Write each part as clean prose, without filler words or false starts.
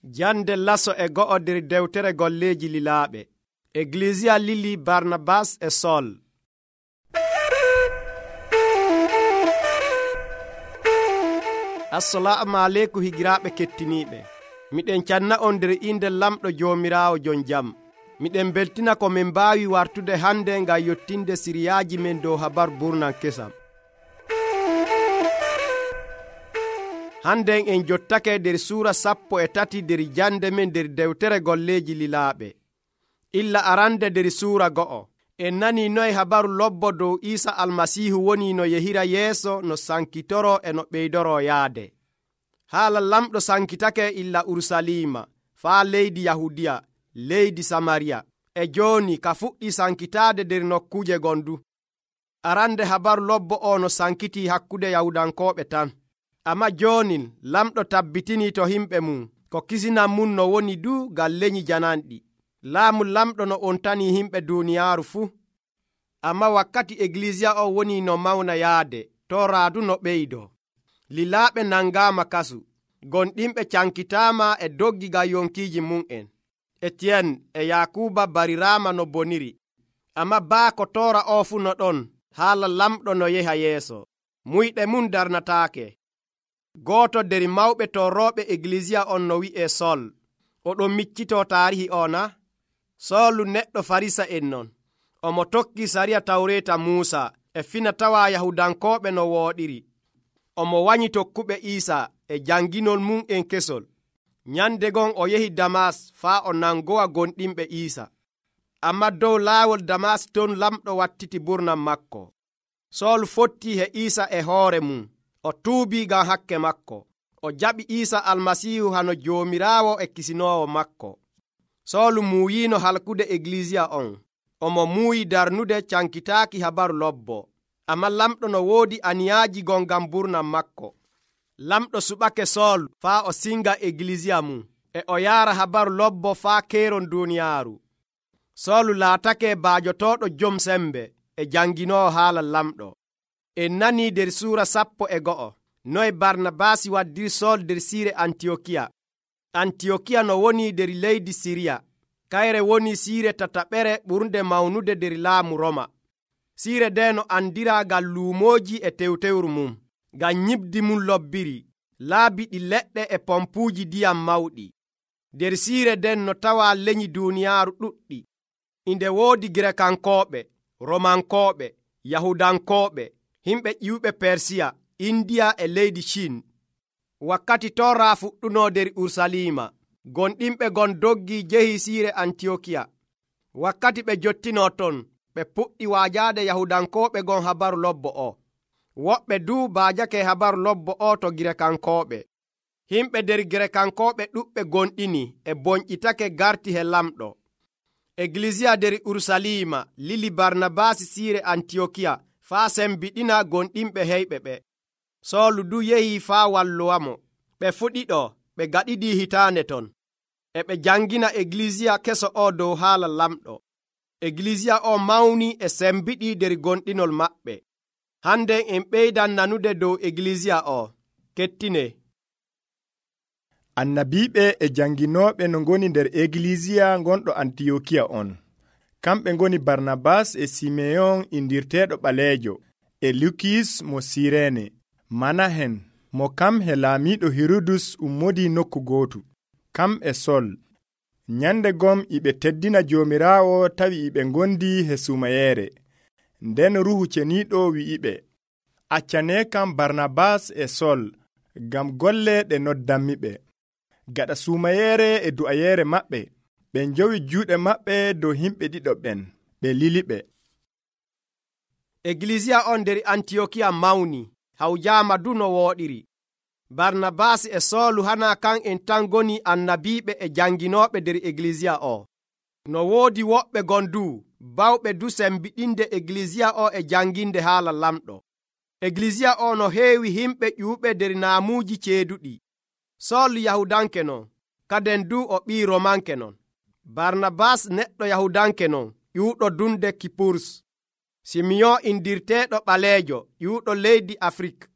Jande laso e go'o nder dewtere golleeji lilaaɓe. Eglisiya lili Barnabas e Sol. Assalamu aleykum higiraaɓe kettiniiɓe. Miɗen canna on nder inde lamɗo Joomiraawo jon jam. Miɗen beltina ko min mbaawi wartude hande ngam yottinde siriyaaji men dow habar burnan kesam. Handen en jottake nder suura 13 nder jande men nder dewtere golleeji lilaaɓe. Illa arande nder suura 2 en nani noy habaru lobbo dow Iisa almasiihu woni no yehira yeeso no sankitoro e no ɓeydoro yaade. Haala lamɗo sankitake illa Urusalima faa leydi Yahudiya, leydi Samariya, e jooni ka fuɗɗi sankitaade nder nokkuje gondu. Arande habaru lobbo o no sankiti hakkude Yahudankooɓe tan. Amma joonin lamɗo tabbitini to himɓe mum ko kisinan mum no woni du gal leñi jananɗi. Laamu lamɗo no on tani himɓe duuniyaaru fuu. Amma wakkati eglisiya o woni no mawna yaade, to raadu no ɓeydo. Lilaaɓe nangaama kasu, gonɗinɓe cankitaama e doggi gam yonkiiji mum'en. Etiyen e Yakuba bariraama no boniri. Amma baa ko toora o fuu no ɗon, haala lamɗo no yeha yeeso. Muyɗe mum darnataake. Gooto nder mawɓe torrooɓe eglisiya on no wi'ee Sol. Oɗon miccitoo taarihi o na? Soolu neɗɗo Farisa en non. Omo tokki sariya tawreeta Muusa e fina tawa Yahudankooɓe no wooɗiri. Omo wanyi tokkuɓe Iisa e janginol mum en kesol. Nyande gon o yehi Damas faa o nangowa gonɗinɓe Iisa. Amma dow laawol Damas ton lamɗo wattiti burnan makko. Soolu fotti he Iisa e hoore mum. O tuubii ngam hakke makko. O jaɓi Iisa almasiihu hano Joomiraawo e kisinoowo makko. Soolu muuyiino halkude eglisiya on. Omo muuyi darnude cankitaaki habaru lobbo. Amma lamɗo no woodi aniyaaji gon ngam burnan makko. Lamɗo suɓake Soolu faa o singa eglisiya mum e o yaara habaru lobbo faa keeron duuniyaaru. Soolu laatake baajotooɗo jom sembe e janginoowo haala lamɗo. En nanii nder suura 12 noy Barnabasi waddiri Sool nder siire Antiyokiya. Antiyokiya no woni nder leydi Siriya. Kayre woni siire tataɓere ɓurnde mawnude nder laamu Roma. Siire nde no andira ngal luumooji e tewtewru mum, ngam nyibdi mum lobbiri, laabi ɗi leɗɗe e pompuuji ndiyam mawɗi. Nder siire nden no tawa leñi duuniyaaru ɗuɗɗi. Inde woodi Girekankooɓe, Romankooɓe, Yahudankooɓe, himɓe ƴiwɓe Persiya, Indiya e leydi Cin. Wakkati torra fuɗɗuno nder Urusalima, gonɗinɓe gon doggi jehi siire Antiyokiya. Wakkati ɓe jottino ton, ɓe puɗɗi waajaade Yahudankooɓe gon habaru lobbo o. Woɓɓe du baajake habaru lobbo o to Girekankooɓe. Himɓe nder Girekankooɓe ɗuɓɓe gonɗini e bonƴitake garti he lamɗo. Eglisiya nder Urusalima lili Barnabasi siire Antiyokiya faa sembiɗina gonɗinɓe heyɓe ɓe. Soolu du yehi faa walluwamo. Ɓe fuɗiɗo ɓe gaɗiɗi hitaande ton. E ɓe jangina eglisiya keso o dow haala lamɗo. Eglisiya o mawni e sembiɗi nder gonɗinol maɓɓe. Hande en ɓeydan nanude dow eglisiya o. Kettine. Annabiiɓe e janginooɓe no ngoni nder eglisiya gonɗo Antiyokiya on. Kamɓe ngoni Barnabas e Simeyon indirteeɗo ɓaleejo, e Lukiyus mo Sireene, Manahen mo kam he laamiiɗo Hirudus ummodi nokku gootu, kam e Sol. Nyande gom iɓe teddina Joomiraawo tawi iɓe ngondi he sumayeere. Nden Ruhu Ceniiɗo wi'iɓe, accane kam Barnabas e Sol ngam golle ɗe noddanmiɓe. Gaɗa sumayeere e du'ayeere maɓɓe, ɓe njowi juuɗe maɓɓe dow himɓe ɗiɗo ɓen, ɓe liliɓe. Eglisiya on nder Antiyokiya mawni, hawjaama du no wooɗiri. Barnabasi e Soolu hana kan en tan goni annabiiɓe e janginooɓe nder eglisiya o. No woodi woɓɓe gondu bawɓe du sembiɗinde eglisiya o e janginde haala lamɗo. Eglisiya o no heewi himɓe ƴuuɓe nder naamuuji ceeduɗi. Soolu Yahudanke non, kaden du o ɓii Romanke non. Barnabas neɗɗo Yahudanke non, ƴuuɗo dunde Kipurus. Simeyon indirteeɗo ɓaleejo, ƴuuɗo leydi Afrik.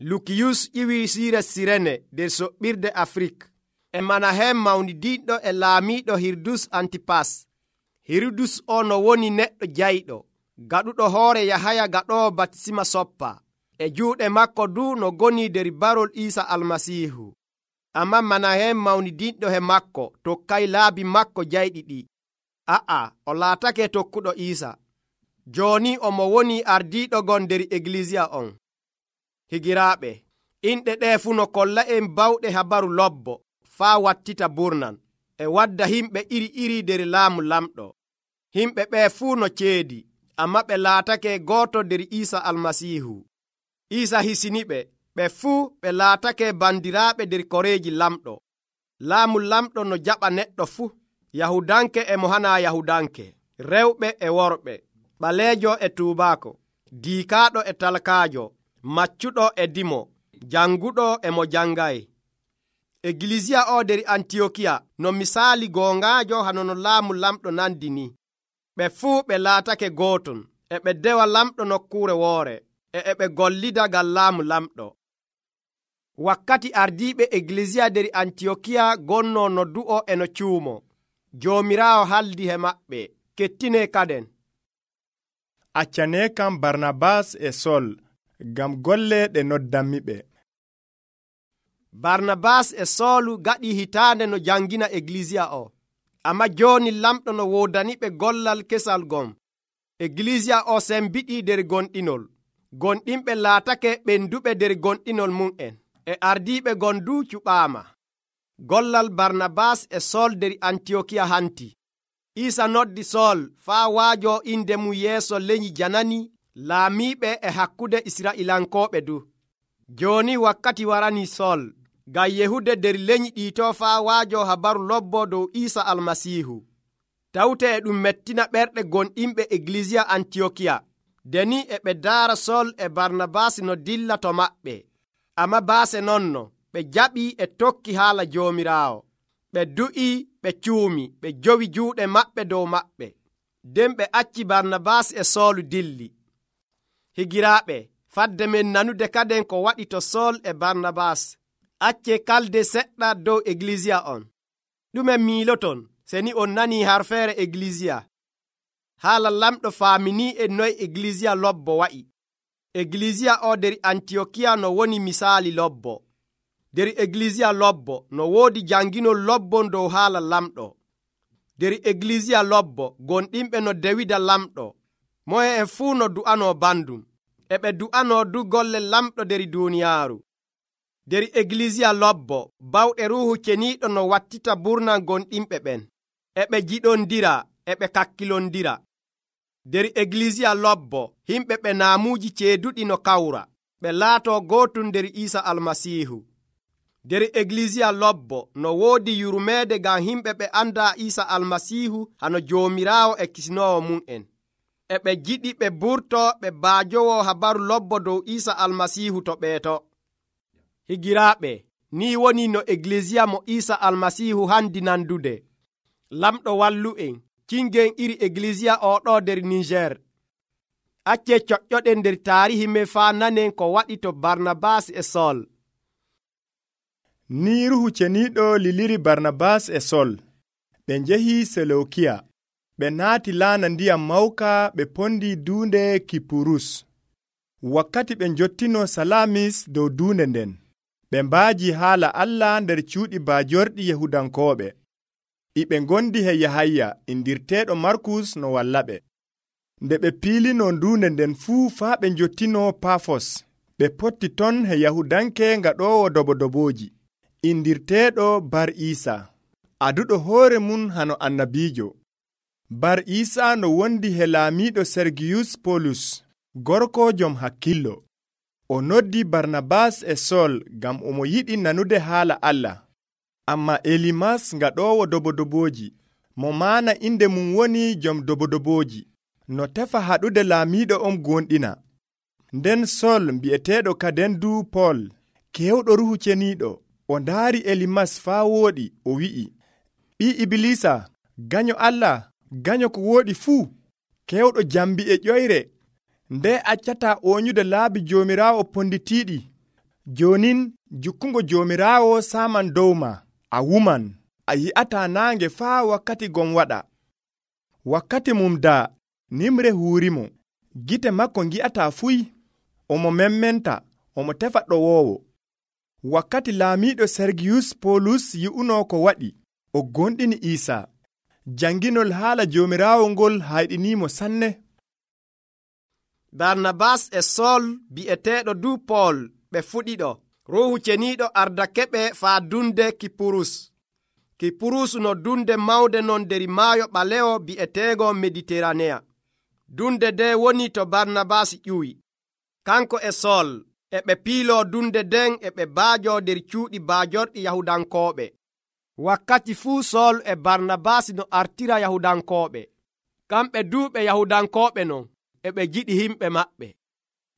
Lukiyus ƴiwi siire Sirene nder soɓɓirde Afrik. e Manahem mawnidinɗo e laamiiɗo Hirdus Antipas. Hirdus o no woni neɗɗo jayɗo, gaɗuɗo hoore Yahaya gaɗoowo batisima soppa. E juuɗe makko du no goni der barol Iisa Almasiihu. Amma Manahem mawnidinɗo he makko tokkay laabi makko jayɗi ɗi. O laatake tokkuɗo Iisa. Jooni omo woni ardiiɗo gon der Eglisiya on. Higiraaɓe, inɗe ɗe fuu no kolla en bawɗe habaru lobbo faa wattita burnan e wadda himɓe iri der laamu lamɗo. Himɓe ɓe fuu no ceedi, amma ɓe laatake gooto der Iisa Almasiihu. Iisa hisiniɓe, ɓe fuu ɓe laatake bandiraaɓe der koreeji lamɗo. Laamu lamɗo no jaɓa neɗɗo fuu, Yahudanke e mo hana Yahudanke, rewɓe e worɓe, ɓaleejo e tuubaako, diikaaɗo e talkaajo, maccuɗo e dimo, janguɗo e mo jangay. Eglisiya o der Antiyokiya no misaali goongaajo hano no laamu lamɗo nandi ni. Ɓe fuu ɓe laatake gooton, e ɓe dewa lamɗo nokkuure woore, e ɓe gollida ngam laamu lamɗo. Wakkati ardiiɓe Eglisiya der Antiyokiya gonno noddu'o e no cuumo, Joomiraawo haldi he maɓɓe, kettine kaden. Accane kam Barnabas e Sol ngam golle ɗe noddanmiɓe. Barnabas e Soolu gaɗi hitaande no jangina Eglisiya o, amma jooni lamɗo no woodaniɓe gollal kesal gon. Eglisiya o sembiɗi der gonɗinol. Gonɗinɓe laatake ɓenduɓe der gonɗinol mum'en, e ardiiɓe gon du cuɓaama. Gollal Barnabas e Sol der Antiyokiya hanti. Iisa noddi Sol faa waajo inde mum yeeso leñi janani laamiiɓe e hakkude Israa'ilankooɓe du. Jooni wakkati warani Sol ngam yehude der leñi ɗiito faa waajo habaru lobbo dow Iisa Almasiihu. Tawte e ɗum mettina ɓerɗe gonɗinɓe Eglisiya Antiyokiya. Deni e ɓe daara Sol e Barnabas no dilla to maɓɓe. Amma baase nonno ɓe jaɓi e tokki haala Joomiraawo. Ɓe du'i, ɓe cuumi, ɓe jowi juuɗe maɓɓe dow maɓɓe. Nden ɓe acci Barnabas e Soolu dilli. Higiraaɓe, fadde men nanude kaden ko waɗi to Sol e Barnabas. Acce kalde seɗɗa dow Eglisiya on. Ɗume miiloton seni on nani harfeere Eglisiya? Haala lamɗo faamini en noy Eglisiya lobbo wa'i. Eglisiya o der Antiyokiya no woni misaali lobbo. Der Eglisiya lobbo no woodi janginol lobbon dow haala lamɗo. Der Eglisiya lobbo gonɗinɓe no dewida lamɗo. Moye en fuu no du'ano bandum, e ɓe du'ano du golle lamɗo der duuniyaaru. Der Eglisiya lobbo bawɗe Ruuhu Ceniiɗo no wattita burnan gonɗinɓe ɓen, e ɓe jiɗondira, e ɓe kakkilondira. Der Eglisiya lobbo himɓe ɓe naamuuji ceeduɗi no kawra, ɓe laato gootum der Iisa Almasiihu. Der Eglisiya lobbo no woodi yurmeede ngam himɓe ɓe anda Iisa Almasiihu hano Joomiraawo e Kisnoowo mum'en, e ɓe jiɗi ɓe burto ɓe baajowo habaru lobbo dow Iisa Almasiihu to ɓeeto. Higiraaɓe, ni woni no Eglisiya mo Iisa Almasiihu handi nandude. Lamɗo wallu'en, cingen iri Eglisiya oɗo der Niger. Acce coƴƴoɗen der taarihi men faa nanen ko waɗi to Barnabas e Sol. Ni Ruuhu Ceniiɗo liliri Barnabas e Sol. Ɓe njehi Seleukiya. Ɓe naati laana ndiyam mawka ɓe pondi duunde Kipurus. Wakkati ɓe njottino Salamis dow duunde nden, ɓe mbaaji haala Allah nder cuuɗi baajorɗi Yahudankooɓe. Iɓe ngondi he Yahaya indirteeɗo Markus no wallaɓe. Nde ɓe piilino duunde nden fuu faa ɓe njottino Pafos, ɓe potti ton he Yahudanke ngaɗoowo dobodobooji, indirteeɗo Bar Iisa, aduɗo hoore mum hano annabiijo. Bar Iisa no wondi he laamiiɗo Sergiyus Polus, gorko jom hakkillo. O noddi Barnabas e Sol ngam omo yiɗi nanude haala Allah. Amma Elimas ngaɗoowo dobodobooji, mo maana inde mum woni jom dobodobooji, no tefa haɗude laamiiɗo on gonɗina. Nden Sol mbi'eteeɗo kaden du Pol, kewɗo Ruuhu Ceniiɗo, o ndaari Elimas faa wooɗi, o wi'i, ɓii Ibilisa, ganyo Allah, ganyo ko wooɗi fuu, kewɗo jambi e ƴoyre, nde accata oonyude laabi Joomiraawo ponditiiɗi. Joonin jukkungo Joomiraawo saaman dow ma, a wuman, a yi'ata naange faa wakkati gon waɗa. Wakkati mum daa nimre huurimo, gite makko ngi'ata fuy, omo memmenta, omo tefa ɗowoowo. Wakkati laamiiɗo Sergiyus Polus yi'uno ko waɗi, o gonɗini Iisaa. Janginol haala Joomiraawo ngol hayɗinimo sanne. Barnabas e Sol bi'eteeɗo du Pol ɓe fuɗiɗo. Ruuhu Ceniiɗo ardakeɓe faa dunde Kipurus. Kipurus no dunde mawde non nder maayo ɓalewo bi'eteego Mediteraneya. Dunde nde woni to Barnabas ƴuwi. Kanko e Sol e ɓe piiloo dunde nden e ɓe baajoo nder cuuɗi baajorɗi Yahudankooɓe. Wakkati fuu Sol e Barnabas no artira Yahudankooɓe. Kamɓe duu ɓe Yahudankooɓe non e ɓe jiɗi himɓe maɓɓe.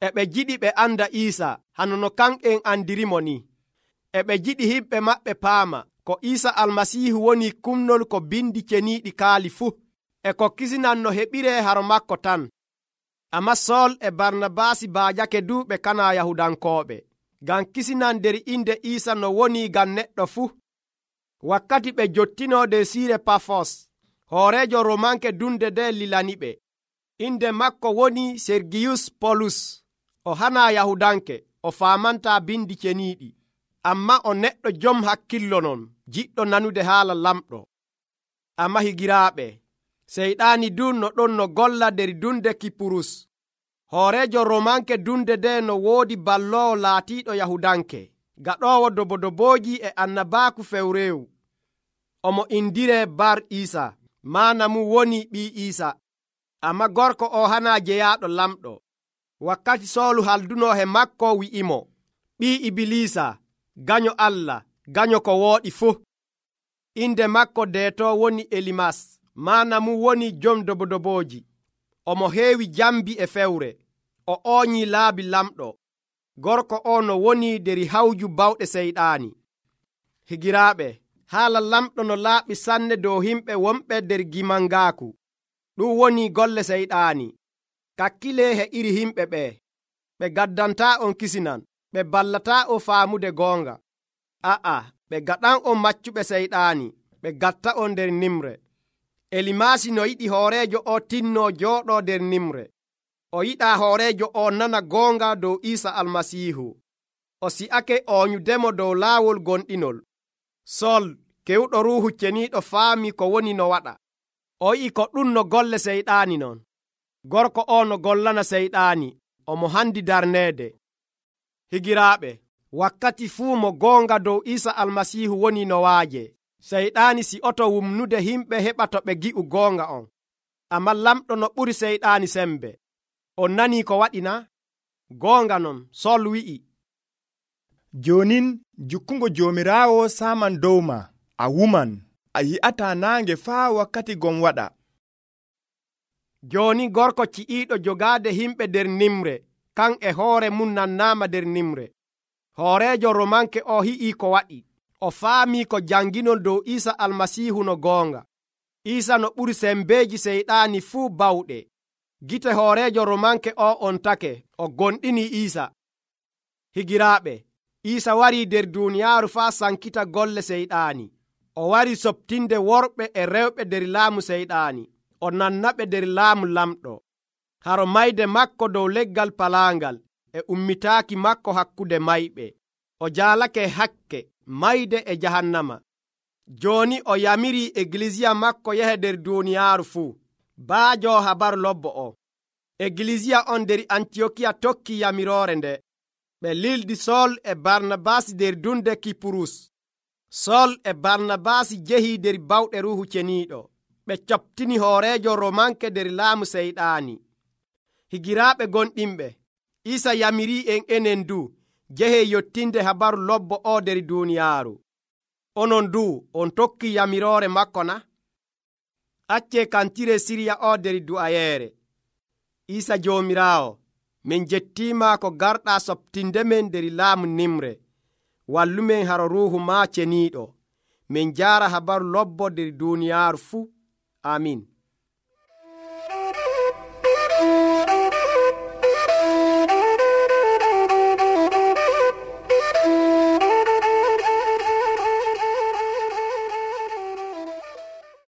E ɓe jiɗi ɓe anda Iisa hano no kan'en andirimo ni. E ɓe jiɗi himɓe maɓɓe paama ko Iisa Almasiihu woni kumnol ko bindi ceniiɗi kaali fuu, e ko kisinan no heɓiree haro makko tan. Ammaa Sol e Barnabas baajake du ɓe kana Yahudankooɓe, ngam kisinan nder inde Iisa no woni ngam neɗɗo fuu. Wakkati ɓe jottinoo nder siire Pafos, hooreejo Romanke dunde nde lilaniɓe. Inde makko woni Sergiyus Polus. O hanaa Yahudanke, o faamantaa bindi ceniiɗi, ammaa o neɗɗo jom hakkillo non, jiɗɗo nanude haala lamɗo. Ammaa higiraaɓe, Seyɗaani du no ɗon no golla nder dunde Kipurus. Hooreejo Romanke dunde nde no woodi balloowo laatiiɗo Yahudanke, gaɗoowo dobodobooji e annabaaku fewreewu. Omo indiree Bar Iisa, maana mum woni ɓii Iisa. Ammaa gorko o hanaa jeyaaɗo lamɗo. Wakkati Soolu haldunoo he makko wi'imo, ɓii Ibilisa, ganyo Allah, ganyo ko wooɗi fuu. Inde makko deeto woni Elimas, maana mum woni jom dobodobooji. Omo heewi jambi e fewre, o ooñii laabi lamɗo. Gorko o no woni der hawju bawɗe Seyɗaani. Higiraaɓe, haala lamɗo no laaɓi sanne dow himɓe wonɓe der gimangaaku. Ɗum woni golle Seyɗaani. Kakkilee he iri himɓe ɓee. Ɓe gaddantaa on kisinan, ɓe ballataa on faamude goonga. Ɓe gaɗan on maccuɓe Seyɗaani, ɓe gatta on nder nimre. Elimaasi no yiɗi hooreejo o tinnoo jooɗoo nder nimre. O yiɗaa hooreejo o nana goonga dow Iisa Almasiihu. O si'ake ooñudemo dow laawol gonɗinol. Sol, kewɗo Ruuhu Ceniiɗo faami ko woni no waɗa. O yi'i ko ɗum no golle Seyɗaani non. Gorko o no gollana Seyɗaani, omo handi darneede. Higiraaɓe, wakkati fuu mo goonga dow Iisa Almasiihu woni no waaje. Seyɗaani si'oto wumnude himɓe heɓa to ɓe gi'u goonga on. Ammaa lamɗo no ɓuri Seyɗaani sembe. On nanii ko waɗi na? Goonga non, Sol wi'i, jonin jukkungo Joomiraawo saaman dow ma, a wuman, a yi'ata naange faa wakkati gon waɗa. Jooni gorko ci'iiɗo jogaade himɓe nder nimre, kan e hoore mum nannaama nder nimre. Hooreejo Romanke o hi'ii ko waɗi. O faamii ko janginol dow Iisa Almasiihu no goonga. Iisa no ɓuri sembeeji Seyɗaani fuu bawɗe. Gite hooreejo Romanke o on take, o gonɗini Iisa. Higiraaɓe, Iisa warii nder duuniyaaru faa sankita golle Seyɗaani. O warii soɓtinde worɓe e rewɓe nder laamu Seyɗaani. O nannaɓe nder laamu lamɗo. Haro mayde makko dow leggal palaangal e ummitaaki makko hakkude mayɓe. O jaalake hakke, mayde e jahannama. Jooni o yamirii Egilisiya makko yehe nder duuniyaaru fuu. Baajoo habaru lobbo o. Egilisiya on nder Antiyokiya tokki yamiroore nde. Ɓe lildi Sol e Barnabas nder dunde Kipurus. Sol e Barnabas jehi nder bawɗe Ruuhu Ceniiɗo. Ɓe coɓtini hooreejo Romanke nder laamu Seyɗaani. Higiraaɓe gonɗinɓe, Iisa yamirii en enen du jehe yottinde habaru lobbo o nder duuniyaaru. Onon du on tokki yamiroore makko na? Accee kantire sirya o nder du'ayeere. Iisa Joomiraawo, min jettiima ko garɗaa soɓtinde men nder laamu nimre. Wallumen haro Ruuhu maa Ceniiɗo. Min jaara habaru lobbo nder duuniyaaru fuu. Amin.